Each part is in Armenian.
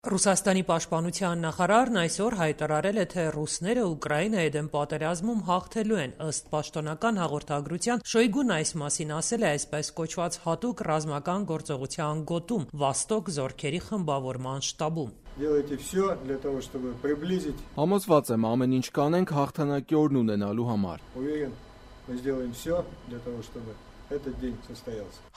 Ռուսաստանի պաշտպանության նախարարն այսօր հայտարարել է, թե ռուսները Ուկրաինայի դեմ պատերազմում հաղթելու են։ Ըստ պաշտոնական հաղորդագրության, Շոյգուն այս մասին ասել է այսպես կոչված հատուկ ռազմական գործողության գոտում «Վոստոկ» զորքերի խմբավորման շտաբում։ Համոզված եմ, ամեն ինչ կանենք հաղթանակի օրն ունենալու համար։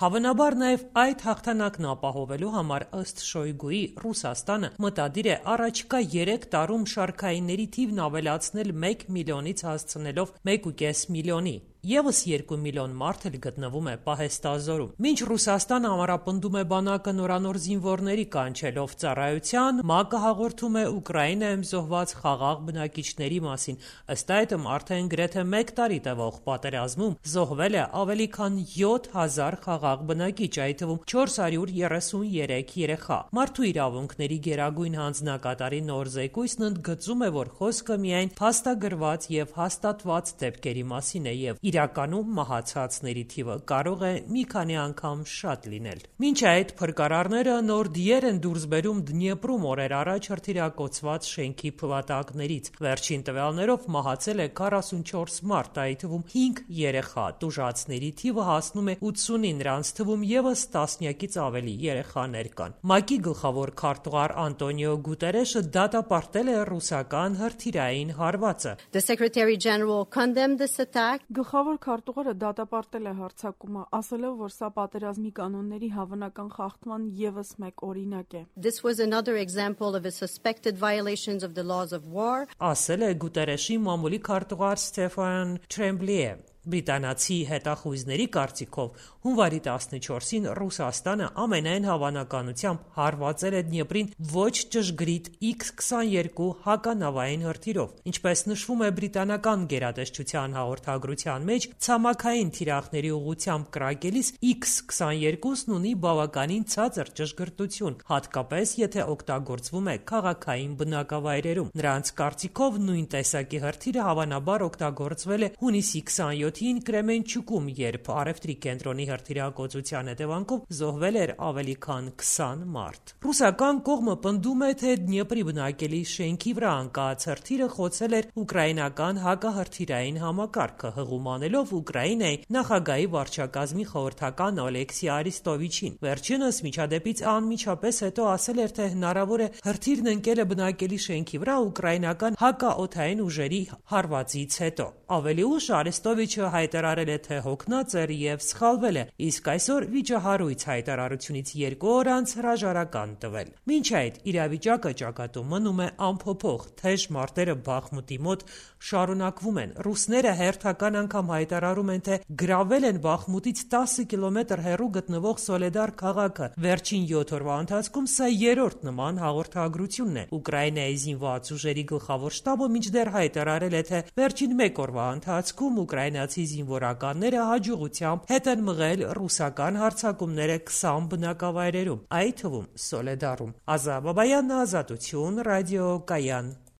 Հավանաբար նաև այդ հաղթանակն ապահովելու համար, ըստ Շոյգուի, Ռուսաստանը մտադիր է առաջիկա 3 տարում շարքայինների թիվն ավելացնել 1 միլիոնից հասցնելով 1,5 միլիոնի։ Եվս 2 միլիոն մարդ էլ գտնվում է պահեստազորում։ Մինչ Ռուսաստանը ամրապնդում է բանակը նորանոր զինվորների կանչելով ծառայության, ՄԱԿ-ը հաղորդում է Ուկրաինայում զոհված խաղաղ բնակիչների մասին։ Ըստ այդմ արդեն գրեթե 1 տարի տևող պատերազմում զոհվել է ավելի քան 7000 խաղաղ բնակիչ, այդ թվում 433 երեխա։ Մարդու իրավունքների գերագույն հանձնակատարի նոր զեկույցն ընդգծում է, որ խոսքը միայն փաստագրված եւ հաստատված դեպքերի մասին է եւ իրականում մահացածների թիվը կարող է մի քանի անգամ շատ լինել։ Մինչ այդ փրկարարները նոր դիեր են դուրս բերում Դնիեպրում օրեր առաջ հրթիռակոծված շենքի փլատակներից։ Վերջին տվյալներով մահացել է 44 մարդ, այդ թվում 5 երեխա։ Տուժածների թիվը հասնում է 80-ի, նրանց թվում եւս տասնյակից ավելի երեխաներ կան։ ՄԱԿ-ի գլխավոր քարտուղար Անտոնիո Գուտերեշը դատապարտել է ռուսական հրթիռային հարվածը։ The Secretary General condemned this attack. Գլխավոր քարտուղարը դատապարտել է հարձակումը, ասելով, որ սա պատերազմի կանոնների հավանական խախտման եւս մեկ օրինակ է։ This was another example of a suspected violations of the laws of war. Ասել է Գուտերեշի մամուլի քարտուղար Ստեֆան Թրեմբլիը։ Բրիտանացի հետախույզների կարծիքով հունվարի 14-ին Ռուսաստանը ամենայն հավանականությամբ հարվածել է Դնիեպրին ոչ ճշգրիտ X-22 հականավային հրթիռով։ Ինչպես նշվում է բրիտանական գերատեսչության հաղորդագրության մեջ, ցամաքային թիրախների ուղղությամբ կրակելիս X-22-ն ունի բավականին ցածր ճշգրտություն, հատկապես եթե օգտագործվում է քաղաքային բնակավայրերում։ Նրանց կարծիքով նույն տեսակի հրթիռը հավանաբար օգտագործվել է հունիսի 27-ին Կրեմենչուկում, երբ առևտրի կենտրոնի հրթիռակոծության հետևանքով զոհվել էր ավելի քան 20 մարդ։ Ռուսական կողմը պնդում է, թե Դնիեպրի բնակելի շենքի վրա ընկած հրթիռը խոցել էր ուկրաինական հակահրթիռային համակարգը, հղում անելով Ուկրաինայի նախագահի վարչակազմի խորհրդական Ալեքսի Արիստովիչին։ Վերջինս միջադեպից անմիջապես հետո ասել էր, թե հնարավոր է հրթիռն ընկել է բնակելի շենքի վրա ուկրաինական հակաօդային ուժերի հարվածից հետո։ Ավելի ուշ Արեստովիչը հայտարարել է, թե հոգնած էր եւ սխալվել է, իսկ այսօր վիճահարույց հայտարարությունից 2 օր անց հրաժարական տվել։ Մինչ այդ իրավիճակը ճակատում մնում է անփոփոխ, թեժ մարտերը Բախմուտի մոտ շարունակվում են։ Ռուսները հերթական անգամ հայտարարում են, թե գրավել են Բախմուտից 10 կիլոմետր հեռու գտնվող Սոլեդար քաղաքը։ Վերջին 7 օրվա ընթացքում սա երրորդ նման հաղորդագրությունն է։ Ուկրաինայի զինված ուժերի գլխավոր շտաբը մինչդեռ հայտարարել է, թե վերջին 1 օրվա ընթացքում ուկրաինացի զինվորականները հաջողությամբ հետ են մղել ռուսական հարձակումները 20 բնակավայրերում, այդ թվում Սոլեդարում։ Ազա Բաբայան, Ազատություն, Ռադիո Կայան։